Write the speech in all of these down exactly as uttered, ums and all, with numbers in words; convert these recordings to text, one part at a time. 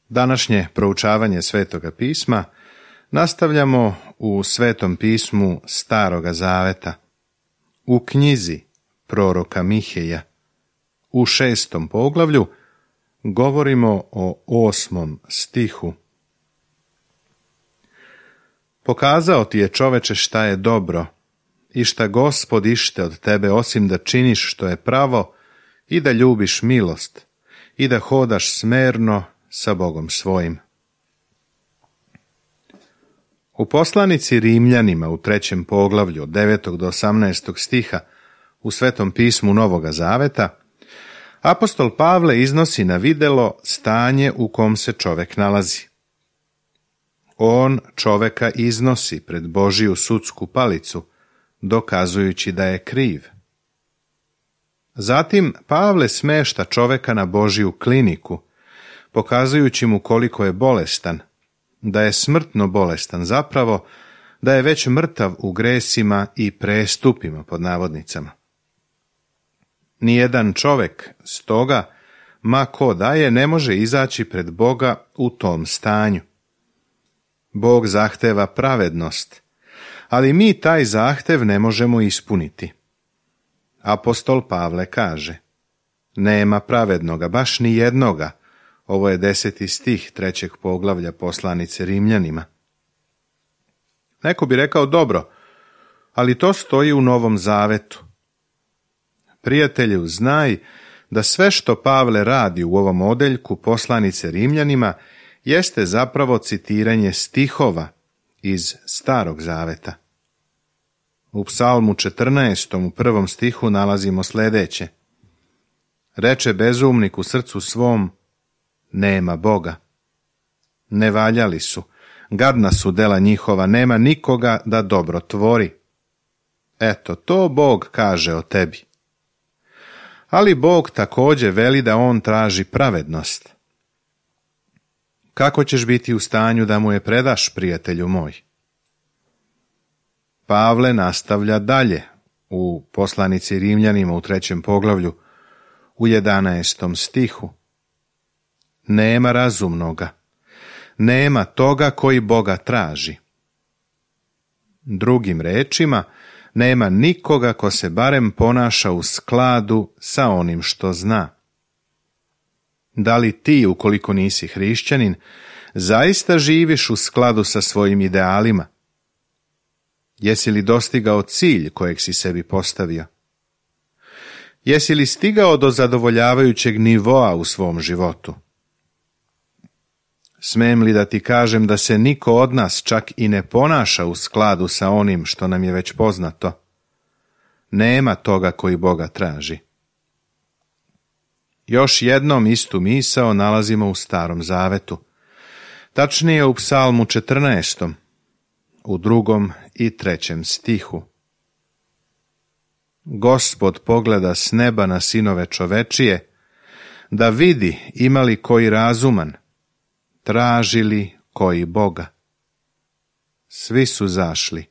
Današnje proučavanje Svetoga pisma nastavljamo u Svetom pismu Staroga Zaveta, u knjizi proroka Miheja. U šestom poglavlju govorimo o osmom stihu. Pokazao ti je, čoveče, šta je dobro i šta Gospod ište od tebe, osim da činiš što je pravo i da ljubiš milost i da hodaš smerno sa Bogom svojim. U poslanici Rimljanima u trećem poglavlju od devetog do osamnaestog stiha u Svetom pismu Novoga Zaveta apostol Pavle iznosi na videlo stanje u kom se čovek nalazi. On čoveka iznosi pred Božiju sudsku palicu, dokazujući da je kriv. Zatim Pavle smešta čoveka na Božiju kliniku, pokazujući mu koliko je bolestan, da je smrtno bolestan, zapravo da je već mrtav u gresima i prestupima, pod navodnicama. Nijedan čovek, stoga, ma ko da je, ne može izaći pred Boga u tom stanju. Bog zahteva pravednost, ali mi taj zahtev ne možemo ispuniti. Apostol Pavle kaže: nema pravednoga, baš ni jednoga. Ovo je deseti stih trećeg poglavlja poslanice Rimljanima. Neko bi rekao: dobro, ali to stoji u Novom Zavetu. Prijatelju, znaj da sve što Pavle radi u ovom odeljku poslanice Rimljanima jeste zapravo citiranje stihova iz Starog Zaveta. U Psalmu četrnaestom u prvom stihu nalazimo sljedeće: reče bezumnik u srcu svom, nema Boga. Nevaljali su, gadna su dela njihova, nema nikoga da dobro tvori. Eto, to Bog kaže o tebi. Ali Bog također veli da on traži pravednost. Kako ćeš biti u stanju da mu je predaš, prijatelju moj? Pavle nastavlja dalje u poslanici Rimljanima u trećem poglavlju u jedanaestom stihu. Nema razumnoga, nema toga koji Boga traži. Drugim rečima, nema nikoga ko se barem ponaša u skladu sa onim što zna. Da li ti, ukoliko nisi hrišćanin, zaista živiš u skladu sa svojim idealima? Jesi li dostigao cilj kojeg si sebi postavio? Jesi li stigao do zadovoljavajućeg nivoa u svom životu? Smem li da ti kažem da se niko od nas čak i ne ponaša u skladu sa onim što nam je već poznato? Nema toga koji Boga traži. Još jednom istu misao nalazimo u Starom Zavetu, tačnije u Psalmu četrnaestom, u drugom i trećem stihu. Gospod pogleda s neba na sinove čovečije, da vidi ima li koji razuman, traži li koji Boga. Svi su zašli,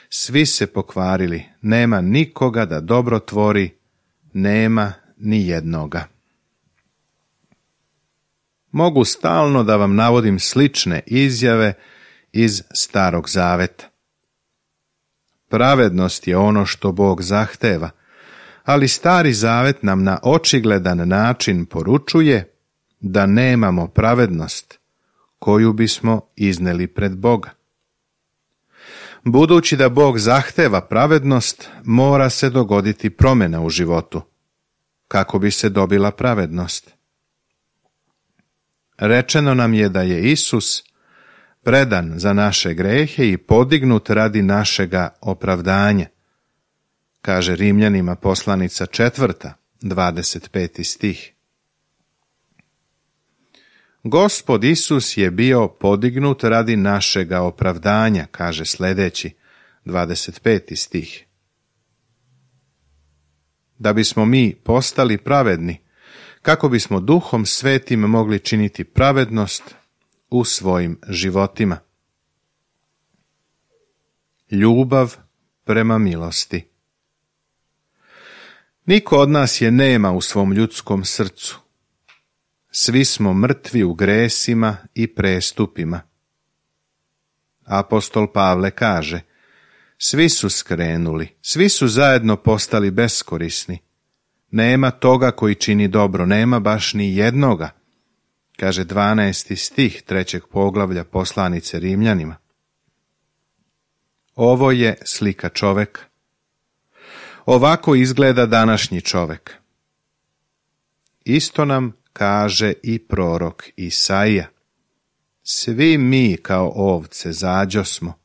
svi se pokvarili, nema nikoga da dobro tvori, nema ni jednoga. Mogu stalno da vam navodim slične izjave iz Starog Zaveta. Pravednost je ono što Bog zahteva, ali Stari Zavet nam na očigledan način poručuje da nemamo pravednost koju bismo izneli pred Boga. Budući da Bog zahteva pravednost, mora se dogoditi promjena u životu, kako bi se dobila pravednost. Rečeno nam je da je Isus predan za naše grehe i podignut radi našega opravdanja, kaže Rimljanima poslanica četvrta, dvadeset peti stih. Gospod Isus je bio podignut radi našega opravdanja, kaže sljedeći, dvadeset peti stih. Da bismo mi postali pravedni, kako bismo Duhom Svetim mogli činiti pravednost u svojim životima. Ljubav prema milosti. Niko od nas je nema u svom ljudskom srcu. svi smo mrtvi u gresima i prestupima. Apostol Pavle kaže, svi su skrenuli, svi su zajedno postali beskorisni. Nema toga koji čini dobro, nema baš ni jednoga, kaže dvanaesti stih trećeg poglavlja poslanice Rimljanima. Ovo je slika čoveka. Ovako izgleda današnji čovek. Isto nam kaže i prorok Isaija. Svi mi kao ovce zađosmo.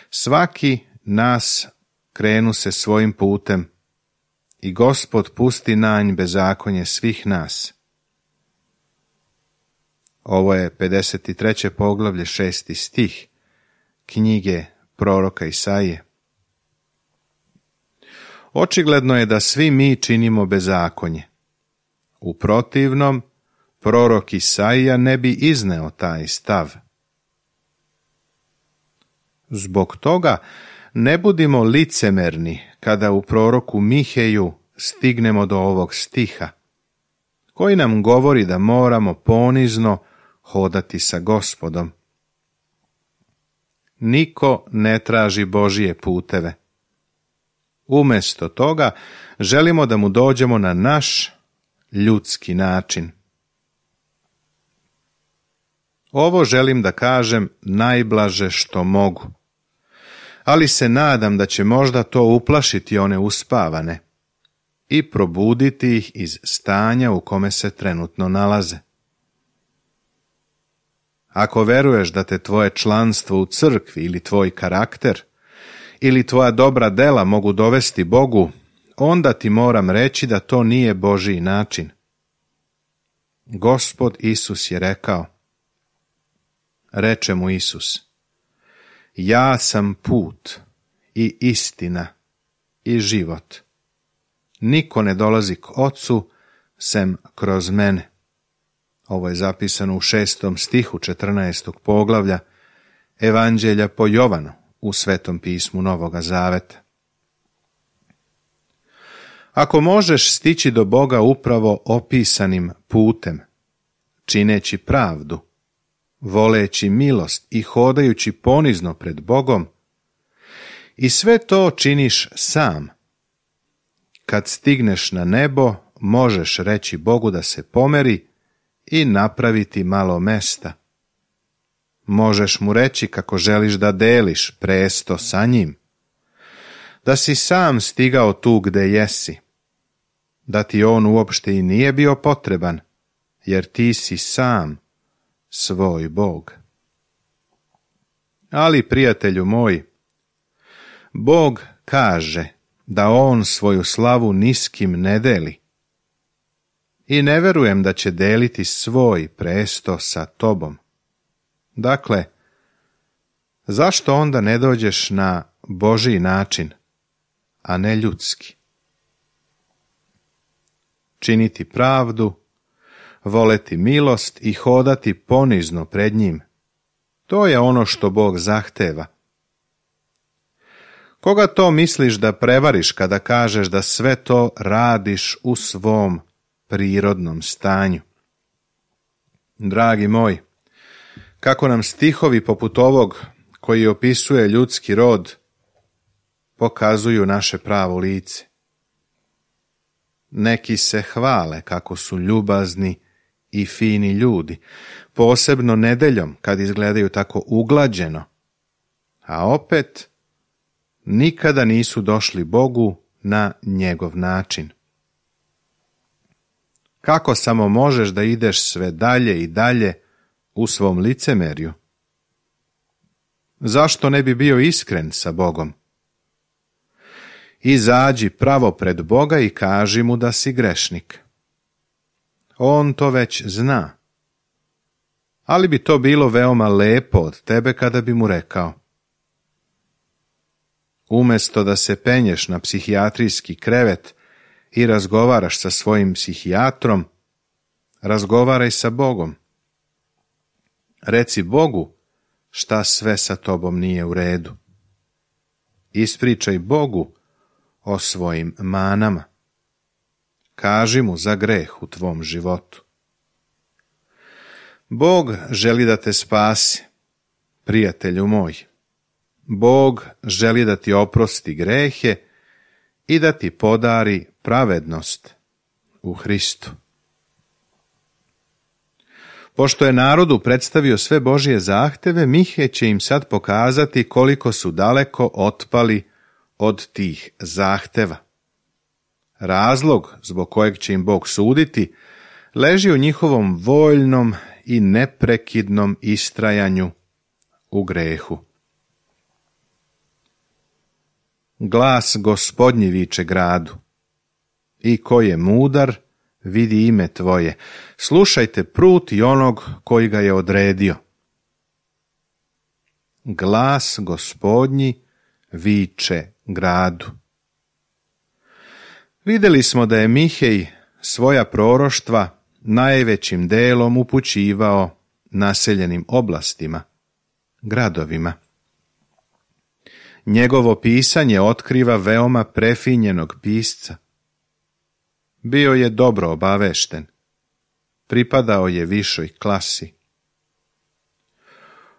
Svaki nas krenu se svojim putem i Gospod pusti nanj bezakonje svih nas. Ovo je pedeset treće poglavlje, šesti stih knjige proroka Isaije. Očigledno je da svi mi činimo bezakonje. U protivnom, prorok Isaija ne bi izneo taj stav. Zbog toga ne budimo licemerni kada u proroku Miheju stignemo do ovog stiha, koji nam govori da moramo ponizno hodati sa Gospodom. Niko ne traži Božije puteve. Umjesto toga želimo da mu dođemo na naš ljudski način. Ovo želim da kažem najblaže što mogu, ali se nadam da će možda to uplašiti one uspavane i probuditi ih iz stanja u kome se trenutno nalaze. Ako veruješ da te tvoje članstvo u crkvi ili tvoj karakter ili tvoja dobra dela mogu dovesti Bogu, onda ti moram reći da to nije Božji način. Gospod Isus je rekao, reče mu Isus, ja sam put i istina i život. Niko ne dolazi k Ocu sem kroz mene. Ovo je zapisano u šestom stihu četrnaestog poglavlja Evanđelja po Jovanu u Svetom pismu Novoga Zaveta. Ako možeš stići do Boga upravo opisanim putem, čineći pravdu, voleći milost i hodajući ponizno pred Bogom, i sve to činiš sam, kad stigneš na nebo, možeš reći Bogu da se pomeri i napraviti malo mesta. Možeš mu reći kako želiš da deliš presto sa njim, da si sam stigao tu gde jesi, da ti on uopšte i nije bio potreban, jer ti si sam svoj Bog. Ali, prijatelju moj, Bog kaže da on svoju slavu niskim ne deli i ne verujem da će deliti svoj presto sa tobom. Dakle, zašto onda ne dođeš na Božji način, a ne ljudski? Činiti pravdu, voleti milost i hodati ponizno pred njim. To je ono što Bog zahteva. Koga to misliš da prevariš kada kažeš da sve to radiš u svom prirodnom stanju? Dragi moj, kako nam stihovi poput ovog koji opisuje ljudski rod pokazuju naše pravo lice. Neki se hvale kako su ljubazni i fini ljudi, posebno nedeljom kad izgledaju tako uglađeno, a opet nikada nisu došli Bogu na njegov način. Kako samo možeš da ideš sve dalje i dalje u svom licemerju? Zašto ne bi bio iskren sa Bogom? Izađi pravo pred Boga i kaži mu da si grešnik. On to već zna. Ali bi to bilo veoma lepo od tebe kada bi mu rekao: umjesto da se penješ na psihijatrijski krevet i razgovaraš sa svojim psihijatrom, razgovaraj sa Bogom. Reci Bogu šta sve sa tobom nije u redu. Ispričaj Bogu o svojim manama. Kaži mu za greh u tvom životu. Bog želi da te spasi, prijatelju moj. Bog želi da ti oprosti grehe i da ti podari pravednost u Hristu. Pošto je narodu predstavio sve Božje zahteve, Mihe će im sad pokazati koliko su daleko otpali od tih zahteva. Razlog zbog kojeg će im Bog suditi leži u njihovom voljnom i neprekidnom istrajanju u grehu. Glas Gospodnji viče gradu: I ko je mudar, vidi ime tvoje. Slušajte prut i onog koji ga je odredio. Glas Gospodnji viče gradu. Vidjeli smo da je Mihej svoja proroštva najvećim delom upućivao naseljenim oblastima, gradovima. Njegovo pisanje otkriva veoma prefinjenog pisca. Bio je dobro obavešten, pripadao je višoj klasi.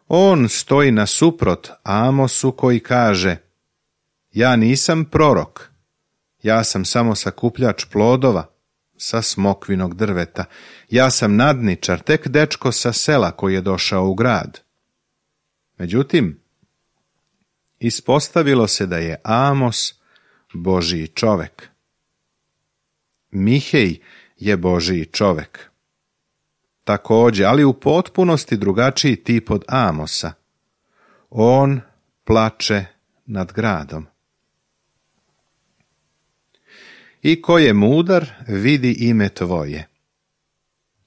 On stoji nasuprot Amosu koji kaže: Ja nisam prorok, ja sam samo sakupljač plodova sa smokvinog drveta, ja sam nadničar, tek dečko sa sela koji je došao u grad. Međutim, ispostavilo se da je Amos Božji čovek. Mihej je Božji čovek. Također, ali u potpunosti drugačiji tip od Amosa. On plače nad gradom. I ko je mudar, vidi ime tvoje.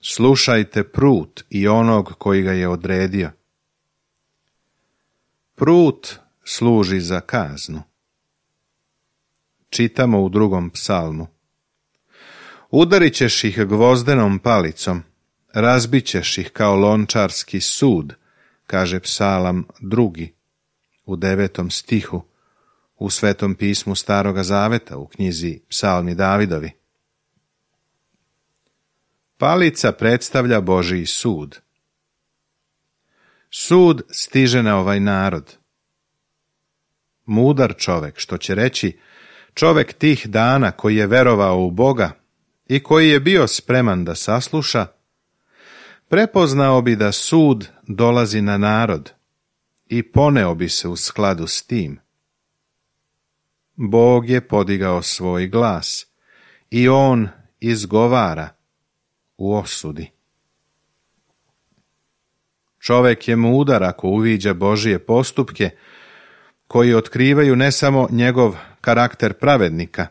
Slušajte prut i onog koji ga je odredio. Prut služi za kaznu. Čitamo u drugom psalmu: Udarit ćeš ih gvozdenom palicom, razbit ćeš ih kao lončarski sud, kaže psalam drugi, u devetom stihu, u Svetom pismu Staroga Zaveta, u knjizi Psalmi Davidovi. Palica predstavlja Božji sud. Sud stiže na ovaj narod. Mudar čovek, što će reći čovek tih dana koji je verovao u Boga i koji je bio spreman da sasluša, prepoznao bi da sud dolazi na narod i poneo bi se u skladu s tim. Bog je podigao svoj glas i on izgovara u osudi. Čovek je mudar ako uviđa Božje postupke koji otkrivaju ne samo njegov karakter pravednika,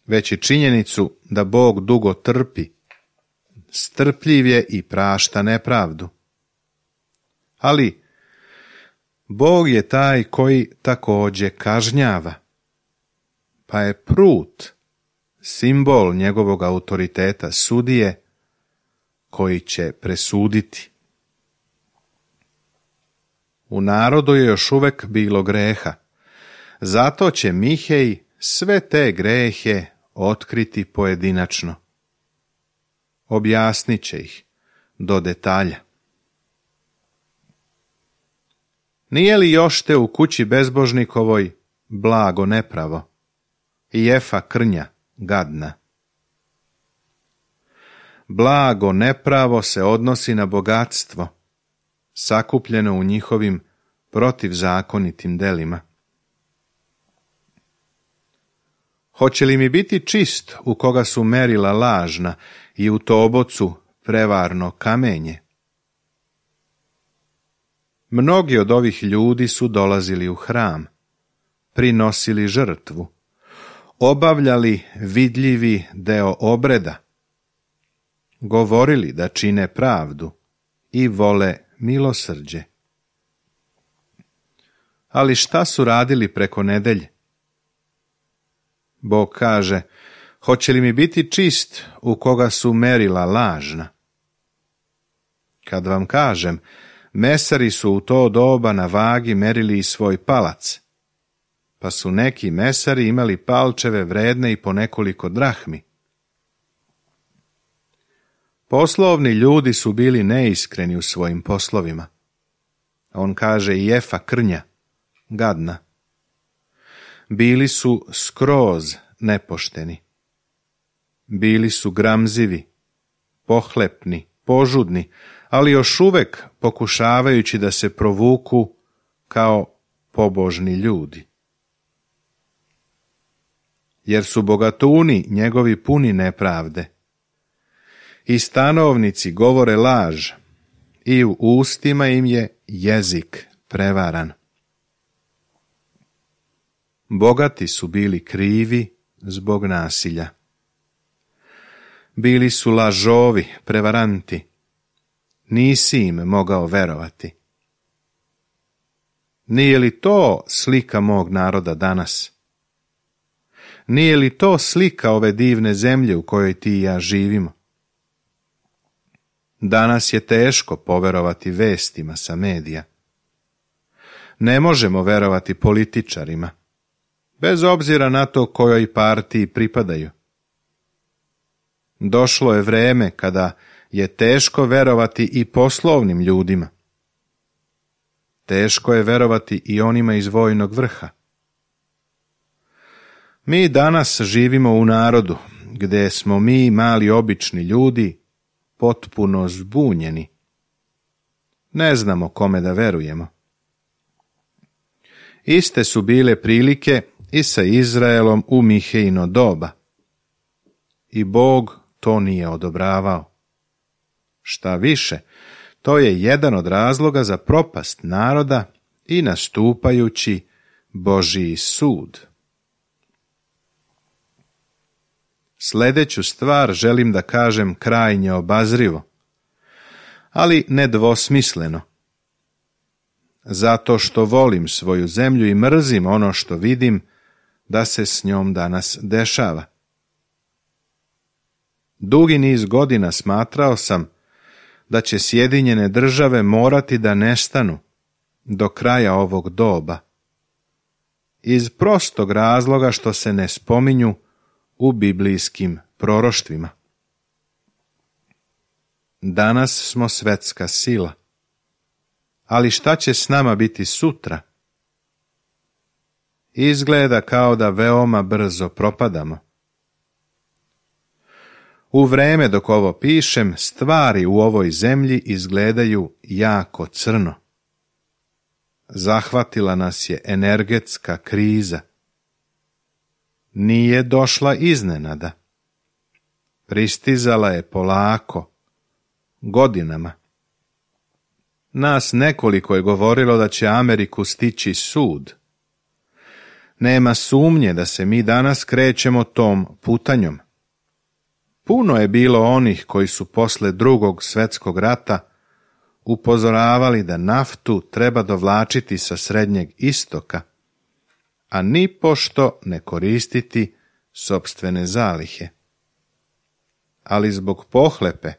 već i činjenicu da Bog dugo trpi, strpljiv je i prašta nepravdu. Ali Bog je taj koji također kažnjava, pa je prut simbol njegovog autoriteta sudije koji će presuditi. U narodu je još uvek bilo greha, zato će Mihej sve te grehe otkriti pojedinačno. Objasnit će ih do detalja. Nije li još te u kući bezbožnikovoj blago nepravo i jefa krnja gadna? Blago nepravo se odnosi na bogatstvo, sakupljeno u njihovim protivzakonitim delima. Hoće li mi biti čist u koga su merila lažna i u tobocu prevarno kamenje? Mnogi od ovih ljudi su dolazili u hram, prinosili žrtvu, obavljali vidljivi deo obreda, govorili da čine pravdu i vole milosrđe. Ali šta su radili preko nedelje? Bog kaže: hoće li mi biti čist u koga su merila lažna? Kad vam kažem, mesari su u to doba na vagi merili i svoj palac, pa su neki mesari imali palčeve vredne i po nekoliko drahmi. Poslovni ljudi su bili neiskreni u svojim poslovima. On kaže i Efa krnja, gadna. Bili su skroz nepošteni. Bili su gramzivi, pohlepni, požudni, ali još uvek pokušavajući da se provuku kao pobožni ljudi. Jer su bogatuni njegovi puni nepravde. I stanovnici govore laž, i u ustima im je jezik prevaran. Bogati su bili krivi zbog nasilja. Bili su lažovi, prevaranti. Nisi im mogao verovati. Nije li to slika mog naroda danas? Nije li to slika ove divne zemlje u kojoj ti i ja živimo? Danas je teško poverovati vestima sa medija. Ne možemo verovati političarima, bez obzira na to kojoj partiji pripadaju. Došlo je vreme kada je teško verovati i poslovnim ljudima. Teško je verovati i onima iz vojnog vrha. Mi danas živimo u narodu gdje smo mi, mali obični ljudi, potpuno zbunjeni. Ne znamo kome da verujemo. Iste su bile prilike i sa Izraelom u Mihejino doba. I Bog to nije odobravao. Šta više, to je jedan od razloga za propast naroda i nastupajući Božji sud. Sljedeću stvar želim da kažem krajnje obazrivo, ali nedvosmisleno. Zato što volim svoju zemlju i mrzim ono što vidim da se s njom danas dešava. Dugi niz godina smatrao sam da će Sjedinjene Države morati da nestanu do kraja ovog doba, iz prostog razloga što se ne spominju u biblijskim proroštvima. Danas smo svetska sila, ali šta će s nama biti sutra? Izgleda kao da veoma brzo propadamo. U vreme dok ovo pišem, stvari u ovoj zemlji izgledaju jako crno. Zahvatila nas je energetska kriza. Nije došla iznenada. Pristizala je polako, godinama. Nas nekoliko je govorilo da će Ameriku stići sud. Nema sumnje da se mi danas krećemo tom putanjom. Puno je bilo onih koji su posle drugog svjetskog rata upozoravali da naftu treba dovlačiti sa Srednjeg istoka, a nipošto ne koristiti sopstvene zalihe. Ali zbog pohlepe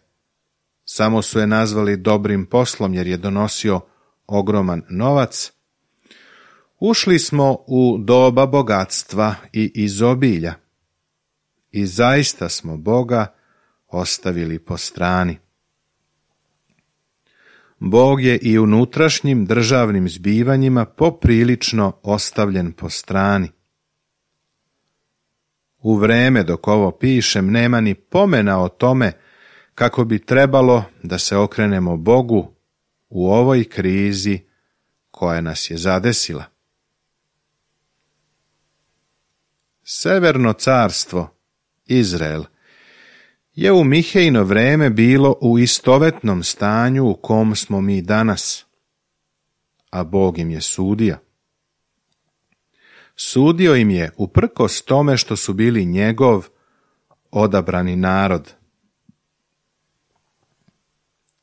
samo su je nazvali dobrim poslom jer je donosio ogroman novac. Ušli smo u doba bogatstva i izobilja i zaista smo Boga ostavili po strani. Bog je i unutrašnjim državnim zbivanjima poprilično ostavljen po strani. U vreme dok ovo pišem nema ni pomena o tome kako bi trebalo da se okrenemo Bogu u ovoj krizi koja nas je zadesila. Severno carstvo, Izrael, je u Mihejino vreme bilo u istovetnom stanju u kom smo mi danas, a Bog im je sudio. Sudio im je uprkos tome što su bili njegov odabrani narod.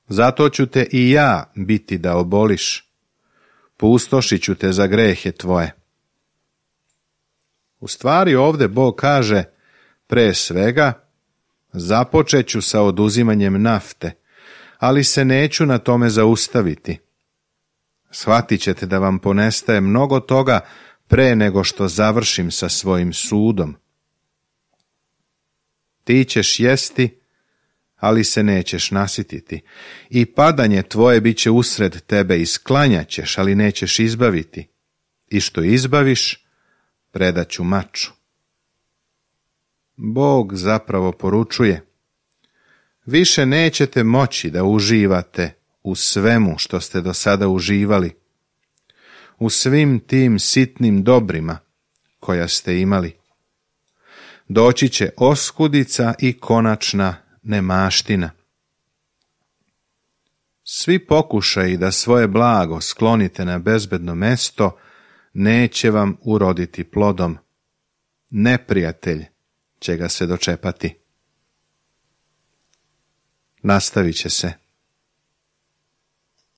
Zato ću te i ja biti da oboliš, pustošit ću te za grehe tvoje. U stvari ovdje Bog kaže, pre svega, započet ću sa oduzimanjem nafte, ali se neću na tome zaustaviti. Shvatit ćete da vam ponestaje mnogo toga pre nego što završim sa svojim sudom. Ti ćeš jesti, ali se nećeš nasititi, i padanje tvoje bit će usred tebe i sklanjat ćeš, ali nećeš izbaviti, i što izbaviš, predat ću maču. Bog zapravo poručuje: više nećete moći da uživate u svemu što ste do sada uživali, u svim tim sitnim dobrima koja ste imali. Doći će oskudica i konačna nemaština. Svi pokušaji da svoje blago sklonite na bezbedno mesto neće vam uroditi plodom. Neprijatelj će ga se dočepati. Nastavit će se.